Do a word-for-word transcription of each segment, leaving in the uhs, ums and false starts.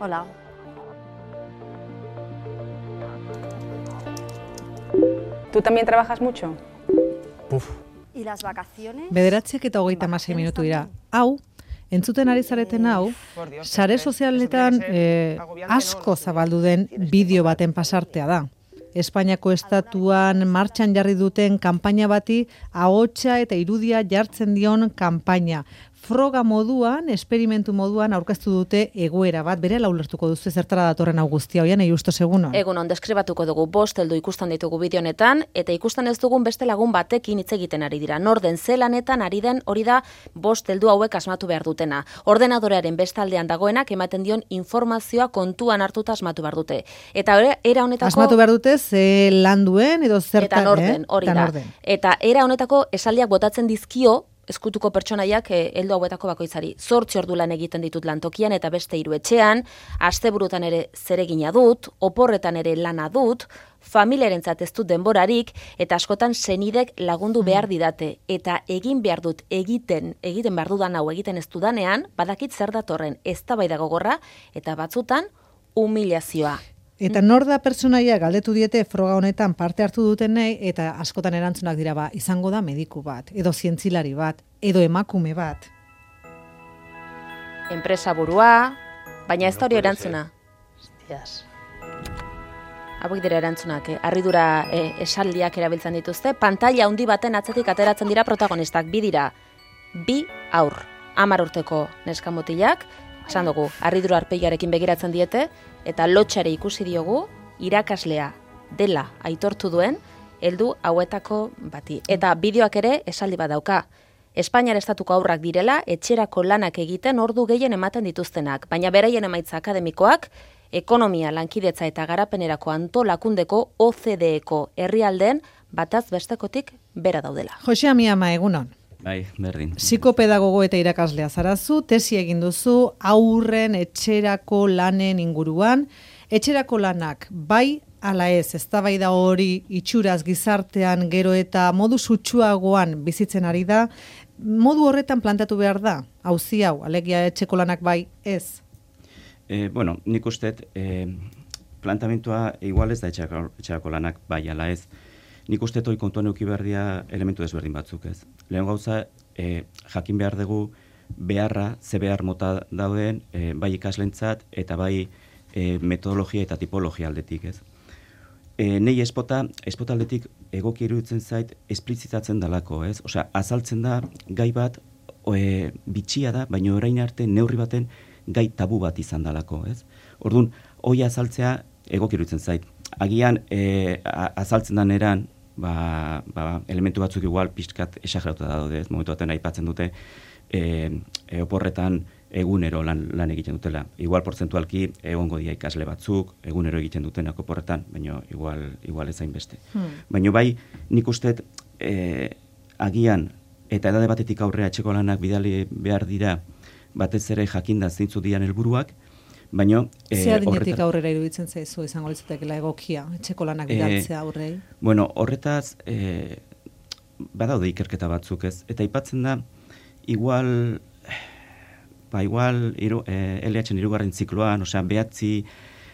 Hola. ¿Tú también trabajas mucho? Uf. ¿Y las vacaciones? Bederatziak eta hogeita hamasei minutu dira. Hau, entzuten ari zareten hau, sare sozialetan eh, asko zabaldu den bideo baten pasartea da. Espainiako estatuan martxan jarri duten kanpaina bati ahotsa eta irudia jartzen dion kanpaina. Froga moduan, esperimentu moduan aurkeztu dute egoera bat, berela ulertuko duzu zertara datorren hau guztia, oian, Justo segunon. Egunon, deskribatuko dugu bost heldu ikusten ditugu bideo honetan, eta ikusten ez dugun beste lagun batekin hitz egiten ari dira. Norden zelanetan ari den hori da bost heldu hauek asmatu behar dutena. Ordenadorearen bestaldean dagoenak ematen dion informazioa kontuan hartuta asmatu behar dute. Eta era honetako... Asmatu behar dute ze lan duen edo zertan, eta norden, eh? hori da. Eta era honetako esaldiak botatzen dizkio, eskutuko pertsonaiak heldu hauetako bakoitzari. Zortzi ordu lan egiten ditut lantokian eta beste hiru etxean, asteburutan ere zeregina dut, oporretan ere lana dut, familiarentzat ez dut denborarik, eta askotan senidek lagundu behar didate. Eta egin behar dut egiten, egiten behar dudan hau egiten ez dudanean, badakit zer datorren eztabaida gogorra, eta batzutan humilazioa. Eta nor da pertsonaia galdetu diete froga honetan parte hartu dutenei, eta askotan erantzunak dira ba, izango da mediku bat, edo zientzilari bat, edo emakume bat. Enpresa burua, baina ez da hori erantzuna. Hostias. Hauek dira erantzunak, eh? Harridura eh, esaldiak erabiltzen dituzte, pantalla handi baten atzetik ateratzen dira protagonistak, bi dira, bi aur, hamar urteko neskamutilak, esan dugu, harridura arpeiarekin begiratzen diete, eta lotxare ikusi diogu, irakaslea dela aitortu duen, heldu hauetako bati. Eta bideoak ere esaldi bat dauka. Espainiar estatuko aurrak direla, etxerako lanak egiten ordu gehien ematen dituztenak, baina beraien emaitza akademikoak, ekonomia, lankidetza eta garapenerako antolakundeko O C D E-ko herrialdeen bataz bestekotik bera daudela. Jose Amiama, egunon. Bai, berdin. Psikopedagogo eta irakaslea zarazu, tesi egin duzu aurren etxerako lanen inguruan. Etxerako lanak bai ala ez, eztabaida hori itxuraz gizartean gero eta modu sutsuagoan bizitzen ari da, modu horretan plantatu behar da, auzi hau, alegia etxeko lanak bai ez? Eh, bueno, nik usteet, eh, plantamentua igual ez da etxerako, etxerako lanak bai ala ez. Nik uste toi kontuan euki behar dira elementu desberdin batzuk ez. Lehen gauza, e, jakin behar dugu beharra, ze behar mota dauden, e, bai ikaslentzat eta bai e, metodologia eta tipologia aldetik ez. E, nei espota, espota aldetik egoki iruditzen zait esplizitatzen dalako ez. Osea, azaltzen da gai bat e, bitxia da, baina orain arte neurri baten gai tabu bat izan dalako ez. Orduan, hoi azaltzea egoki iruditzen zait. Agian e, azaltzen da neran, Ba, ba, elementu batzuk igual pixkat esageratuta daude, ez momentu baten aipatzen dute e, e, oporretan egunero lan, lan egiten dutela. Igual porzentualki egongo dia ikasle batzuk, egunero egiten dutenak oporretan, baina igual, igual ezain beste. Hmm. Baina bai, nik usteet e, agian eta edade batetik aurrea etxeko lanak bidali behar dira batez ere jakinda zeintzu dian helburuak, baina... E, Ze adinetik aurrera iruditzen zaizu izango litzatekeela egokia, etxeko lanak bidaltzea aurrei? E, bueno, horretaz, e, badaude ikerketa batzuk ez, eta aipatzen da, igual, ba, igual, iru, e, L H-en irugarren zikloan, osea, behatzi,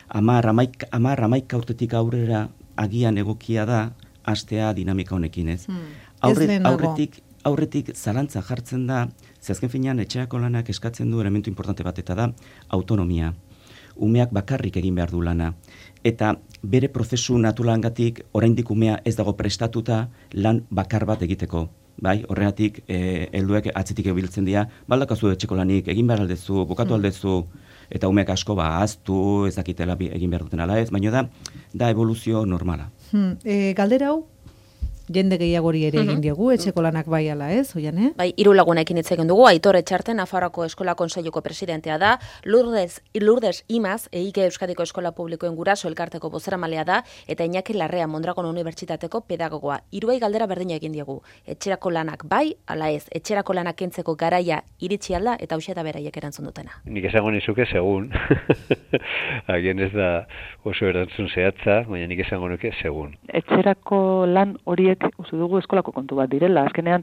amar, amaik, amar, amaik aurtetik aurrera agian egokia da, hastea dinamika honekin ez. Hmm. Aurre, aurretik, aurretik zalantza jartzen da, ze azken finean etxeako lanak eskatzen du elementu importante bat, eta da autonomia. Umeak bakarrik egin behar du lana. Eta bere prozesu naturangatik oraindik umea ez dago prestatuta lan bakar bat egiteko. Bai, horregatik eh, helduek atzetik ebiltzen dira, baldakazu etxeko lanik, egin behar aldezu, bukatu hmm. aldezu, eta umeak asko ba ahaztu, ez dakitela egin behar duten ala ez, baina da, da evoluzio normala. Hmm. E, galdera hau? Jende gehiagori ere egin diegu, etxeko lanak bai ala ez, oian, eh? Bai, hiru lagunekin hitz egin dugu, Aitor Etxarte, Nafarroako Eskola Kontseiluko presidentea da, Lourdes, Lourdes Imaz, E I K Euskadiko Eskola Publikoen Guraso elkarteko bozeramalea da, eta Iñaki Larrea Mondragon Unibertsitateko pedagogoa. Hiruei galdera berdina egin diegu. Etxerako lanak bai ala ez, etxerako lanak kentzeko garaia iritsi alda, eta hauxe da beraiek erantzun dutena. Nik esango nizuke segun. Agian ez da oso erantzun zehatza, baina nik esango nuke segun. Etxerako lan horiek uste dugu eskolako kontu bat direla. Azkenean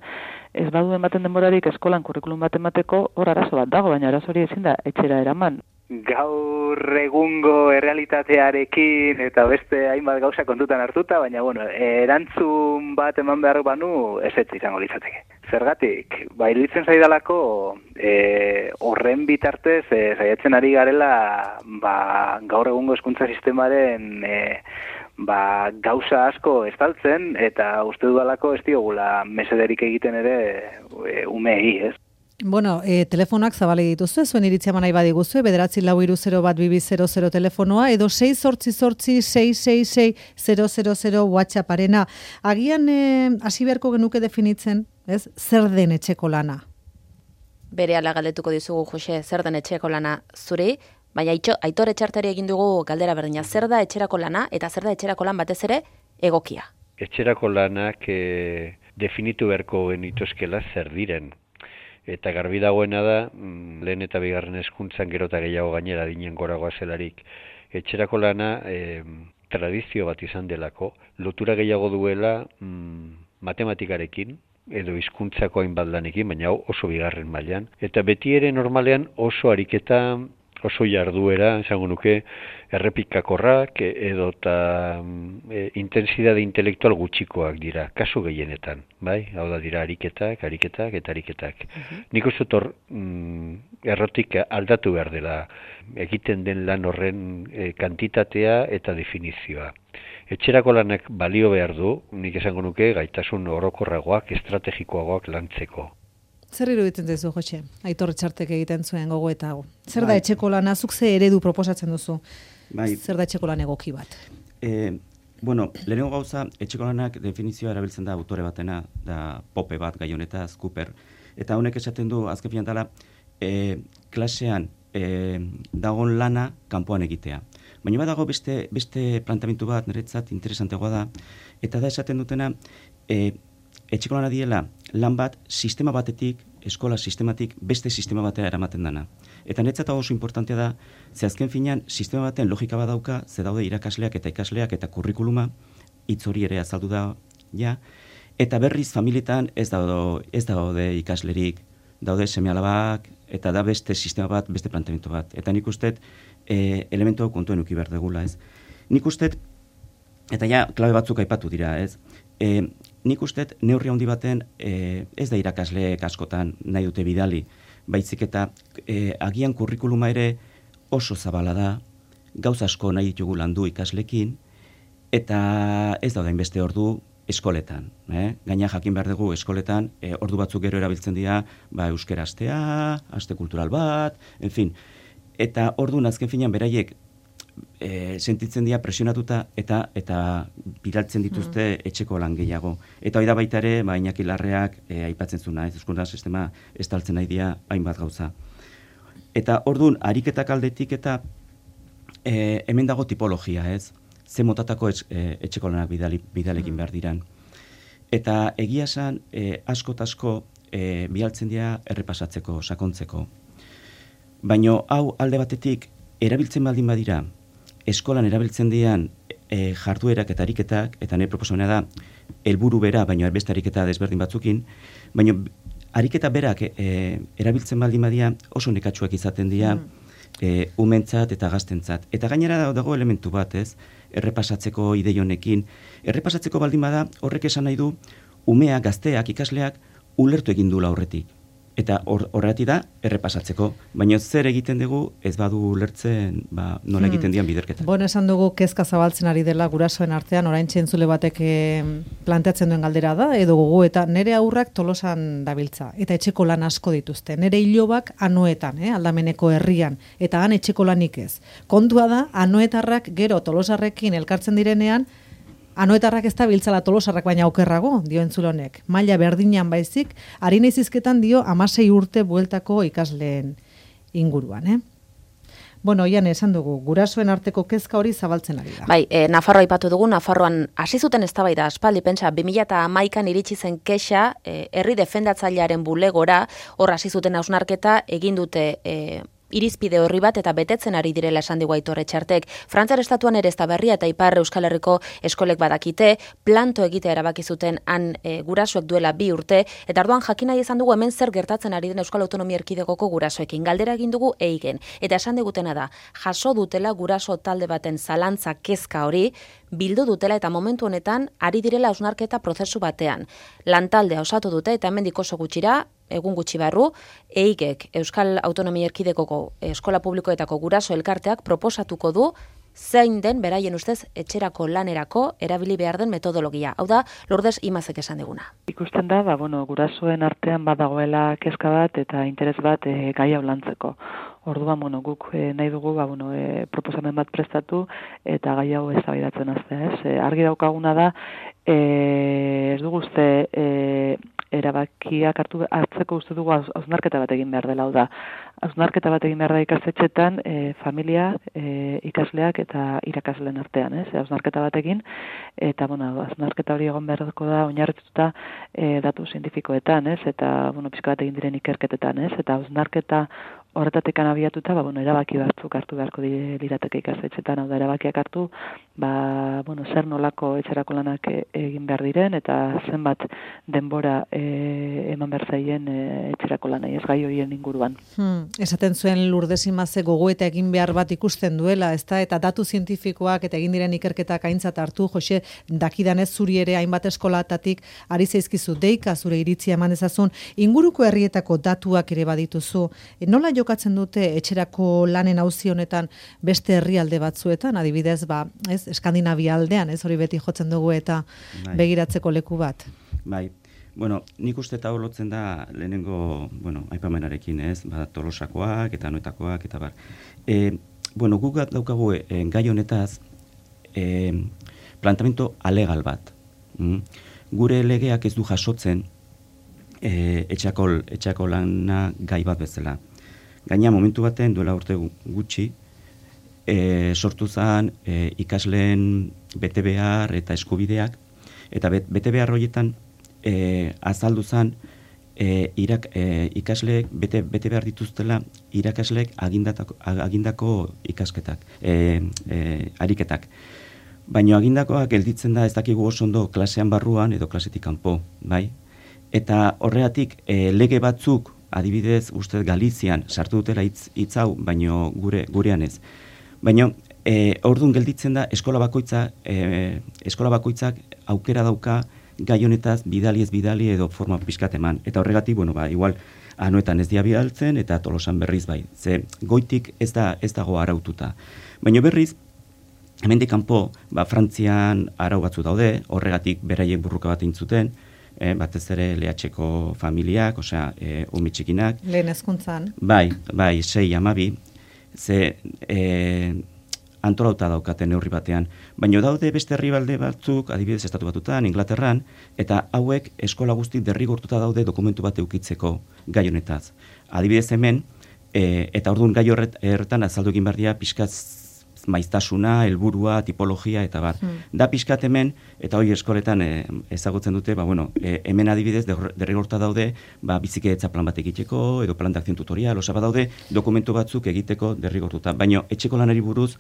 ez badu ematen denborarik eskolan kurrikulum bat emateko hor arazo bat dago, baina arazo hori ezin da etxera eraman. gaur egungo errealitatearekin eta beste hainbat gauza kontutan hartuta, baina bueno, erantzun bat eman behar banu ezetz izango litzateke. Zergatik, ba, iruditzen zaidalako e, horren bitartez e, saiatzen ari garela ba, gaur egungo hezkuntza sistemaren e, ba, gauza asko estaltzen eta uste dudalako ez diogula mesederik egiten ere e, umei, ez? Bueno, e, telefonoak zabale dituzue, zuen iritzia manai badiguzue, bederatzi lau iru zero bat bibi zero zero telefonoa, edo sei zortzi zortzi sei sei sei zero zero zero WhatsApparena. Agian hasi e, beharko genuke definitzen, ez, zer den etxeko lana? Bere ala galdetuko dizugu, Jose, zer den etxeko lana zuri, baina Aitor Etxarteri egin dugu galdera berdina, zer da etxerako lana eta zer da etxerako lan batez ere egokia? Etxerako lanak e, definitu beharko genituzkela zer diren. Eta garbi dagoena da, lehen eta bigarren hezkuntzan gero eta gehiago gainera dinen goragoa zelarik, etxerako lana e, tradizio bat izan delako, lotura gehiago duela mm, matematikarekin, edo hizkuntzako hainbat lanekin, baina oso bigarren mailan. Eta beti ere normalean oso ariketa, oso jarduera, esango nuke, errepikakorrak edo eta e, intensidade intelektual gutxikoak dira, kasu gehienetan, bai? Hau da dira ariketak, ariketak eta ariketak. Uh-huh. Nik uste dut mm, errotik aldatu behar dela egiten den lan horren e, kantitatea eta definizioa. Etxerako lanak balio behar du, nik esango nuke gaitasun orokorragoak, estrategikoagoak lantzeko. Zer iruditzen duzu, Jose? Aitor Etxartek egiten zuen gogoeta hau. Zer da etxeko lana, zuk ze eredu proposatzen duzu? Bai. Zer da etxeko lan egoki bat? E, bueno, lehenengo gauza, etxeko lanak definizioa erabiltzen da autore batena, da Pope bat gai honetaz, Cooper. Eta honek esaten du, azken finan dela, e, klasean e, dagon lana kanpoan egitea. Baina badago beste, beste plantamentu bat, niretzat interesantegoa da, eta da esaten dutena, e, etxeko lana diela lan bat sistema batetik, eskola sistematik beste sistema batera eramaten dana. Eta niretzat oso importantea da, ze azken finean sistema baten logika bat dauka, ze daude irakasleak eta ikasleak eta kurrikuluma, hitz hori ere azaldu da, ja, eta berriz familietan ez daude, ez daude ikaslerik, daude seme-alabak, eta da beste sistema bat, beste planteamendu bat. Eta nik uste e, elementu kontuen uki behar degula, ez. Nik uste, eta ja, klabe batzuk aipatu dira, ez. E, nik uste neurri handi baten e, ez da irakasleek askotan nahi dute bidali, baizik eta e, agian kurrikuluma ere oso zabala da, gauza asko nahi ditugu landu ikaslekin, eta ez da hainbeste ordu eskoletan. Eh? Gaina jakin behar dugu eskoletan, e, ordu batzuk gero erabiltzen dira, ba, euskera astea, aste kultural bat, en fin. Eta orduan azken finean beraiek E, sentitzen dira presionatuta eta eta biraltzen dituzte mm. etxeko lan gehiago. Eta hori da baita ere, ba, Iñaki Larreak e, aipatzen zuna, ez hezkuntza sistema estaltzen nahi dira hainbat gauza. Eta orduan, ariketak aldetik eta e, hemen dago tipologia, ez? Ze motatako etx, e, etxeko lanak bidali, bidalekin mm. behar diran. Eta egia esan, e, asko eta asko e, bialtzen dira errepasatzeko, sakontzeko. Baina hau alde batetik erabiltzen baldin badira, eskolan erabiltzen dian e, jarduerak eta ariketak, eta nire proposamena da, helburu bera, baina beste ariketa desberdin batzukin, baina ariketa berak e, erabiltzen baldin badia oso nekatsuak izaten dira mm. e, umentzat eta gaztentzat. Eta gainera dago elementu bat, ez, errepasatzeko ideionekin. Errepasatzeko baldin bada, horrek esan nahi du, umea, gazteak, ikasleak, ulertu egin dula horretik. Eta horretik da, errepasatzeko. Baina zer egiten dugu, ez badu ulertzen, ba, nola egiten dian biderketa. Bon, esan dugu kezka zabaltzen ari dela gurasoen artean, orain txentzule batek planteatzen duen galdera da, edo gogo, eta nire aurrak Tolosan dabiltza, eta etxeko lan asko dituzte. Nire ilobak Anoetan, eh, aldameneko herrian, eta han etxeko lanik ez. Kontua da, Anoetarrak gero Tolosarrekin elkartzen direnean, Anoetarrak ez da biltzala Tolosarrak baina okerrago, dio entzulonek. Maila berdinean baizik, harina izizketan dio hamasei urte bueltako ikasleen inguruan. Eh? Bueno, oian esan dugu, gurasoen arteko kezka hori zabaltzen ari da. Bai, e, Nafarroa aipatu dugu, Nafarroan hasi zuten eztabaida aspaldi, pentsa, bi mila hamaikan iritsi zen kexa, e, herri defendatzailearen bulegora, hor hasi zuten hausnarketa, egin dute e, irizpide horri bat eta betetzen ari direla esan digu Aitor Etxartek. Frantziar estatuan ere ez da berria eta Ipar Euskal Herriko eskolek badakite, planto egitea erabaki zuten han e, gurasoek duela bi urte, eta orduan jakin nahi izan dugu hemen zer gertatzen ari den Euskal Autonomia Erkidegoko gurasoekin. Galdera egin dugu eigen, eta esan digutena da, jaso dutela guraso talde baten zalantza kezka hori, bildu dutela eta momentu honetan ari direla hausnarketa prozesu batean. Lantaldea osatu dute eta hemendik oso gutxira, egun gutxi barru, eigek Euskal Autonomia Erkidegoko eskola publikoetako guraso elkarteak proposatuko du zein den beraien ustez etxerako lanerako erabili behar den metodologia. Hau da, Lourdes Imazek esan diguna. Ikusten da, ba, bueno, gurasoen artean badagoela kezka bat eta interes bat e, gai hau lantzeko. Orduan, bueno, guk e, nahi dugu ba, bueno, e, proposamen bat prestatu eta gai hau eztabaidatzen hastea, ez? E, argi daukaguna da, e, ez dugu uste e, erabakiak hartu hartzeko uste dugu hausnarketa bat egin behar dela, hau da. Hausnarketa bat egin behar da ikastetxetan e, familia, e, ikasleak eta irakasleen artean, ez? Hausnarketa bat egin eta bueno, hausnarketa hori egon beharko da oinarrituta e, datu zientifikoetan, ez? Eta bueno, pixka bat egin diren ikerketetan, ez? Eta hausnarketa horretatik abiatuta, ba, bueno, erabaki batzuk hartu beharko lirateke ikastetxetan, hau da, erabakiak hartu, ba, bueno, zer nolako etxerako lanak egin behar diren, eta zenbat denbora e, eman behar zaien e, etxerako lanai, ez gai horien inguruan. Hmm, esaten zuen Lourdes Imazek gogoeta egin behar bat ikusten duela, ezta, eta datu zientifikoak eta egin diren ikerketak aintzat hartu, Jose, dakidanez zuri ere hainbat eskolatatik ari zaizkizu deika zure iritzia eman dezazun, inguruko herrietako datuak ere badituzu, e, nola jokatzen dute etxerako lanen auzi honetan beste herrialde batzuetan, adibidez, ba, ez, Eskandinavia aldean, ez, hori beti jotzen dugu eta bai, begiratzeko leku bat. Bai, bueno, nik uste eta holotzen da lehenengo, bueno, aipamenarekin, ez, ba, Tolosakoak eta Anoetakoak eta bar. E, bueno, guk daukagu e, gai honetaz e, planteamiento alegal bat. Mm? Gure legeak ez du jasotzen e, etxako, etxako lana gai bat bezala. Gaina momentu baten duela urte gutxi, e, sortu zen e, ikasleen bete behar eta eskubideak, eta bet, bete behar horietan e, azaldu zen e, irak, e, ikasleek bete, bete behar dituztela irakasleek agindako, agindako ikasketak, e, e, ariketak. Baina agindakoak gelditzen da ez dakigu oso ondo klasean barruan edo klasetik kanpo, bai? Eta horregatik e, lege batzuk adibidez, uste Galizian sartu dutela hitz, hitz hau, baino gure gurean ez. Baina e, ordun gelditzen da eskola bakoitza, e, eskola bakoitzak aukera dauka gai honetaz bidali ez bidali edo forma pixkat eman. Eta horregatik, bueno, ba, igual Anoetan ez dia bidaltzen eta Tolosan berriz bai. Ze goitik ez da ez dago araututa. Baina berriz hemendik kanpo, ba, Frantzian arau batzu daude, horregatik beraiek burruka bat egin zuten. Eh, batez ere lehatxeko familiak, osea, e, umi txikinak. Lehen hezkuntzan. Bai, bai, sei, amabi, ze e, antolauta daukaten neurri batean. Baina daude beste herrialde batzuk, adibidez Estatu Batutan, Inglaterran, eta hauek eskola guzti derrigortuta daude dokumentu bat eukitzeko gai honetaz. Adibidez hemen, e, eta orduan gai horretan azaldu egin behar dira pixkaz maiztasuna, helburua, tipologia eta bar. Hmm. Da pixkat hemen, eta hori eskoletan e, ezagutzen dute, ba, bueno, e, hemen adibidez derrigorta daude, ba, bizikidetza plan bat egiteko, edo plan de akzion tutorial, osa daude dokumentu batzuk egiteko derrigortuta. Baina etxeko lanari buruz,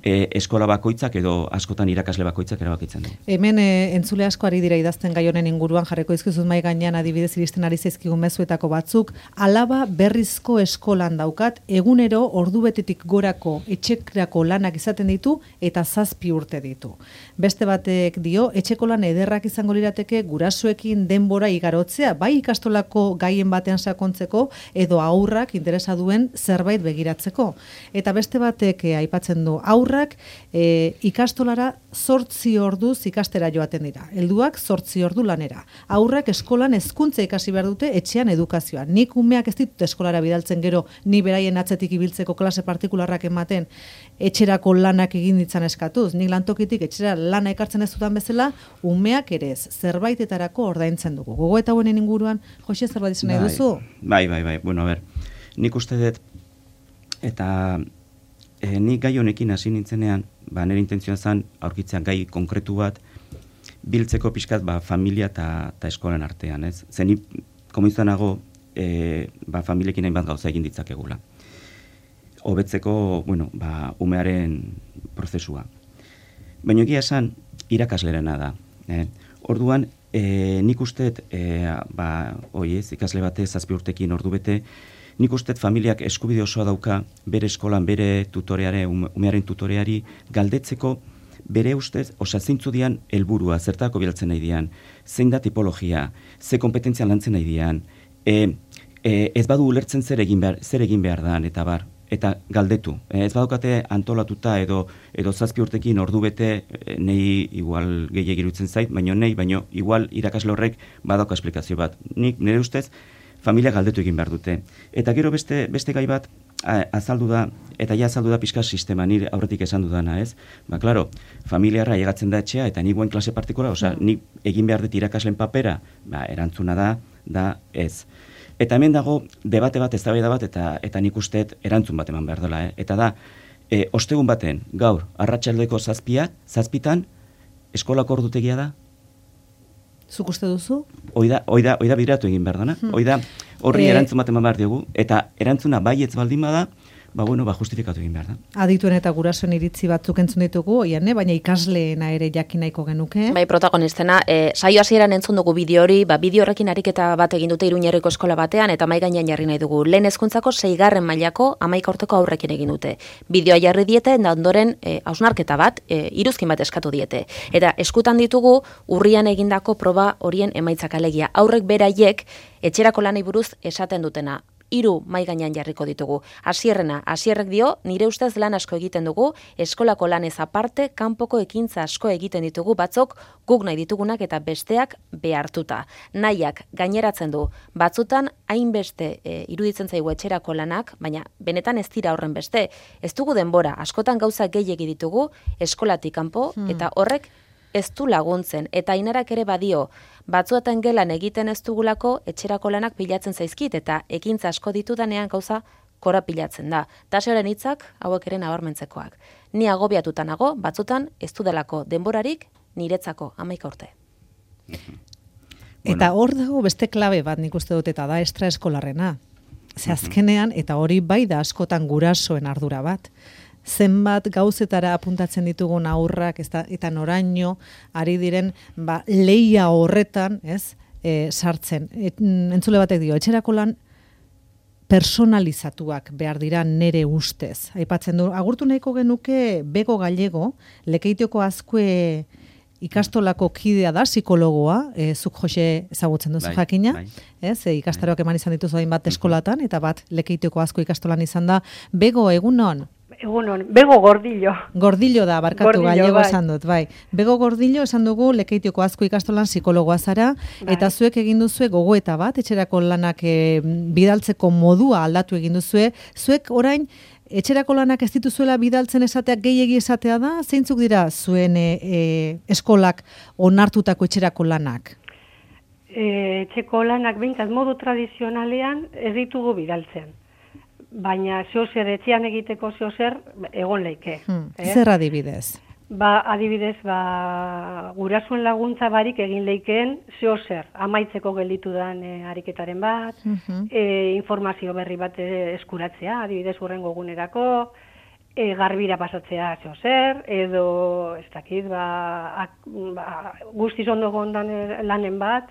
E, eskola bakoitzak edo askotan irakasle bakoitzak erabakitzen du. Hemen e, entzule asko ari dira idazten gai honen inguruan, jarreko izkizut mai gainean adibidez iristen ari zaizkigun mezuetako batzuk, alaba berrizko eskolan daukat, egunero ordubetetik gorako etxekrako lanak izaten ditu eta zazpi urte ditu. Beste batek dio, etxeko lan ederrak izango lirateke gurasoekin denbora igarotzea, bai ikastolako gaien batean sakontzeko edo aurrak interesa duen zerbait begiratzeko. Eta beste batek e, aipatzen du, aurrak E, ikastolara zortzi orduz ikastera joaten dira. Helduak zortzi ordu lanera. Aurrak eskolan hezkuntza ikasi behar dute etxean edukazioa. Nik umeak ez ditut eskolara bidaltzen gero, ni beraien atzetik ibiltzeko klase partikularrak ematen etxerako lanak egin ditzan eskatuz. Nik lantokitik etxera lana ekartzen ez dutan bezala, umeak ere ez, zerbaitetarako ordaintzen dugu. Gogo eta honen inguruan, Jose, zerbait izan nahi duzu? Bai, bai, bai. Bueno, a ber, nik uste dut, eta E, nik gai honekin hasi nintzenean, ba, nire intentzioa zen aurkitzea gai konkretu bat biltzeko pixkat ba, familia eta eskolan artean, ez? Zen ni komentzanago e, ba, familiekin hainbat gauza egin ditzakegula. hobetzeko, bueno, ba, umearen prozesua. Baina egia esan, irakaslerena da. Eh? Orduan, e, nik usteet, e, ba, oiez, ikasle bate, zazpi urtekin ordu bete, nik usteet familiak eskubide osoa dauka bere eskolan, bere tutoreare, umearen tutoreari galdetzeko bere ustez, osea, zeintzu dian helburua, zertako bilatzen nahi dian, zein da tipologia, ze kompetentzia lantzen nahi dian, e, e, ez badu ulertzen zer egin behar, zer egin behar dan, eta bar, eta galdetu. Ez badukate antolatuta edo edo zazpi urtekin ordu bete, nei igual gehiegi iruditzen zait, baino nei, baino igual irakasle horrek badauka esplikazio bat. Nik nire ustez familia galdetu egin behar dute. Eta gero beste beste gai bat azaldu da, eta ja azaldu da pixka sistema, nire aurretik esan dudana, ez? Ba, klaro, familiarra llegatzen da etxea, eta nik guen klase partikular, osea, nik egin behar dut irakasleen papera, ba, erantzuna da, da ez. Eta hemen dago debate bat, eztabaida bat, eta eta nik usteet erantzun bat eman behar dela, eh? Eta da, e, ostegun baten, gaur, arratsaldeko zazpia, zazpitan, eskolako ordutegia da? Zuk uste duzu? Oida, oida, oida biratu egin behar dana. Hmm. Oida, horri e... erantzun bat eman behar diogu, eta erantzuna baietz baldin bada, ba, bueno, ba, justifikatu egin behar da. Adituen eta gurasoen iritzi batzuk entzun ditugu, oian, baina ikasleena ere jakin nahiko genuke. Bai, protagonistena, e, saio hasieran entzun dugu bideo hori, ba, bideo horrekin ariketa bat egin dute Iruñerriko eskola batean, eta mai gainean jarri nahi dugu. Lehen hezkuntzako seigarren mailako hamaika urteko aurrekin egin dute. Bideoa jarri diete, eta ondoren e, hausnarketa bat, e, iruzkin bat eskatu diete. Eta eskutan ditugu, urrian egindako proba horien emaitzak alegia. Aurrek beraiek, etxerako lanei buruz esaten dutena. Hiru mai gainean jarriko ditugu. Hasierrena, hasierrek dio, nire ustez lan asko egiten dugu, eskolako lanez aparte, kanpoko ekintza asko egiten ditugu, batzok guk nahi ditugunak eta besteak behartuta. Nahiak gaineratzen du, batzutan hainbeste e, iruditzen zaigu etxerako lanak, baina benetan ez dira horren beste. Ez dugu denbora, askotan gauza gehiegi ditugu, eskolatik kanpo, hmm. eta horrek ez du laguntzen, eta Ainarak ere badio, batzuetan gelan egiten ez dugulako etxerako lanak pilatzen zaizkit, eta ekintza asko ditudanean gauza korapilatzen da. Taseoren hitzak hauek ere nabarmentzekoak. Ni agobiatuta nago, batzutan ez dudalako denborarik niretzako hamaika urte. Eta hor dago beste klabe bat nik uste dut, eta da extraeskolarrena. Ze azkenean, eta hori bai da askotan gurasoen ardura bat. Zenbat gauzetara apuntatzen ditugun aurrak, ez da, eta noraino ari diren ba, leia horretan, ez, e, sartzen. Et, entzule batek dio, etxerako lan personalizatuak behar dira nere ustez. Aipatzen du, agurtu nahiko genuke Bego Gallego, Lekeitioko Azkue ikastolako kidea da, psikologoa, e, zuk Jose ezagutzen duzu bai, jakina, bai. Ez, e, ikastaroak eman izan dituzu hain bat eskolatan, eta bat Lekeitioko Azkue ikastolan izan da. Bego, egunon? Egunon, Bego Gordillo. Gordillo da, barkatu Gallego bai. Esan dut, bai. Bego Gordillo esan dugu Lekeitioko Azkue ikastolan psikologoa zara, bai. Eta zuek egin duzue gogoeta bat, etxerako lanak e, bidaltzeko modua aldatu egin duzue, zuek orain etxerako lanak ez dituzuela bidaltzen esateak gehiegi esatea da, zeintzuk dira zuen e, e, eskolak onartutako etxerako lanak? E, etxeko lanak behintzat modu tradizionalean ez ditugu bidaltzen. Baina zeozer etxean egiteko zeozer egon leike. Hmm. Eh? Zer adibidez? Ba, adibidez, ba, gurasuen laguntza barik egin leikeen zeozer, amaitzeko gelditu den e, ariketaren bat, uh-huh. e, informazio berri bat eskuratzea, adibidez hurrengo egunerako, e, garbira pasatzea zeozer, edo, ez dakit, ba, ak, ba, guztiz ondo gondan lanen bat,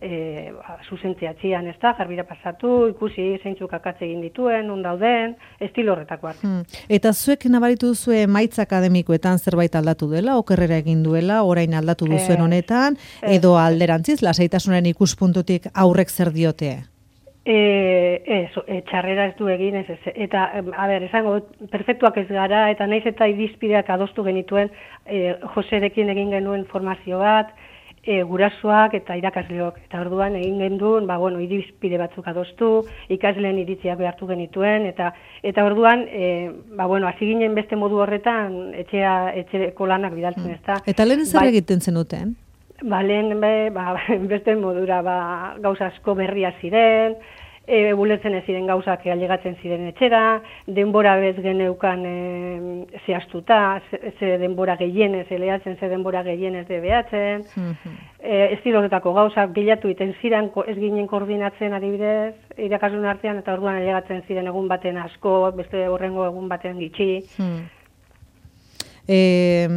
E, ba, zuzentzea txian, ez da, garbira pasatu, ikusi zeintzuk akatze egin dituen, on dauden, estilo horretakoak. Hmm. Eta zuek nabaritu duzue emaitza akademikoetan zerbait aldatu dela, okerrera egin duela, orain aldatu duzuen honetan, e, edo alderantziz, lasaitasunen ikuspuntutik aurrek zer diote? E, ez, e, txarrera ez du egin, ez, ez, eta, a ber, esango, perfektuak ez gara, eta naiz eta irizpideak adostu genituen, e, Joserekin egin genuen formazio bat, E, gurasoak eta irakasleok. Eta orduan egin genduen, ba, bueno, irizpide batzuk adostu, ikasleen iritziak behartu genituen, eta eta orduan, e, ba, bueno, hasi ginen beste modu horretan, etxea, etxeko lanak bidaltzen, ez da. Eta lehen zer egiten zenuten? Ba, lehen, be, ba, beste modura, ba, gauza asko berria ziren, e, buletzen ez ziren gauzak ailegatzen ziren etxera, denbora bez geneukan e, zehaztuta, ze, ze denbora gehienez eleatzen, ze denbora gehienez debeatzen, mm-hmm. e, ez horretako gauzak bilatu iten ziren, ez ginen koordinatzen adibidez, irakaslun artean, eta orduan ailegatzen ziren egun baten asko, beste horrengo egun baten gitxi. Mm. E,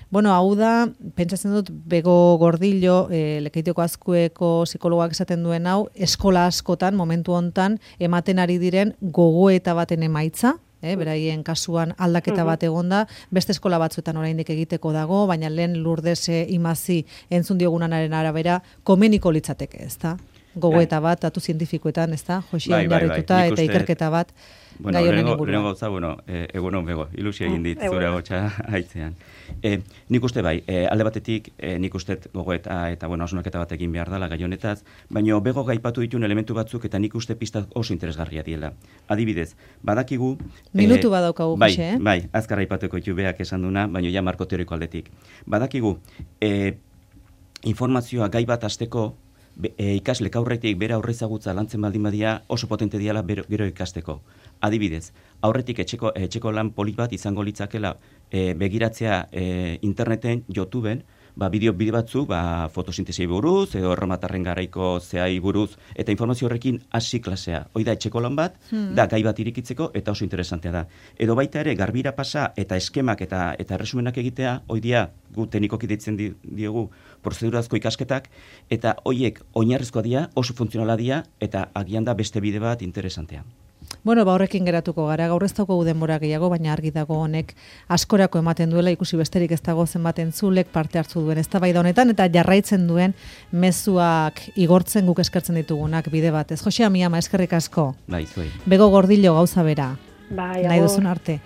bueno, hau da, pentsatzen dut, Bego Gordillo, e, Lekeitioko Azkueko psikologoak esaten duen hau, eskola askotan, momentu hontan, ematen ari diren gogoeta baten emaitza, eh, beraien kasuan aldaketa bat egonda, beste eskola batzuetan oraindik egiteko dago, baina lehen Lourdes Imazi entzun diogunanaren arabera, komeniko litzateke, ezta? Gogoeta bat, datu zientifikoetan, ezta? Josian jarrituta eta ikerketa bat. Bueno, lehenengo gauza, bueno, e, egunon bego, ilusia egin dit zure gotxa haitzean. E, nik uste bai, e, alde batetik, e, nik uste gogoeta eta, bueno, hausnarketa bat egin behar dela gai honetaz, baina bego gaipatu dituen elementu batzuk eta nik uste pista oso interesgarria diela. Adibidez, badakigu... Minutu e, badaukagu, bai, Jose, eh? Bai, azkar aipatuko ditu beak esan duna, baina ja marko teoriko aldetik. Badakigu, e, informazioa gai bat hasteko, e, ikaslek aurretik bera aurrezagutza lantzen baldin badia oso potente diala gero ikasteko. Adibidez, aurretik etxeko, etxeko lan polit bat izango litzakela e, begiratzea e, interneten, YouTubeen, ba, bideo bide batzuk, ba, fotosintesi buruz, edo erromatarren garaiko zehai buruz, eta informazio horrekin hasi klasea. Hoi da, etxeko lan bat, hmm. da gai bat irikitzeko, eta oso interesantea da. Edo baita ere, garbira pasa, eta eskemak eta eta erresumenak egitea, hoi dia, gu teknikoki deitzen di, diogu, prozedurazko ikasketak, eta hoiek oinarrizkoa dira, oso funtzionala dira, eta agian da beste bide bat interesantea. Bueno, ba horrekin geratuko gara, gaur ez daukagu denbora gehiago, baina argi dago honek askorako ematen duela, ikusi besterik ez dago zenbat entzulek parte hartu duen eztabaida honetan, eta jarraitzen duen mezuak igortzen guk eskertzen ditugunak bide batez. Jose Amiama, eskerrik asko. Bai, zuei. Bego Gordillo, gauza bera. Bai, nahi duzun arte.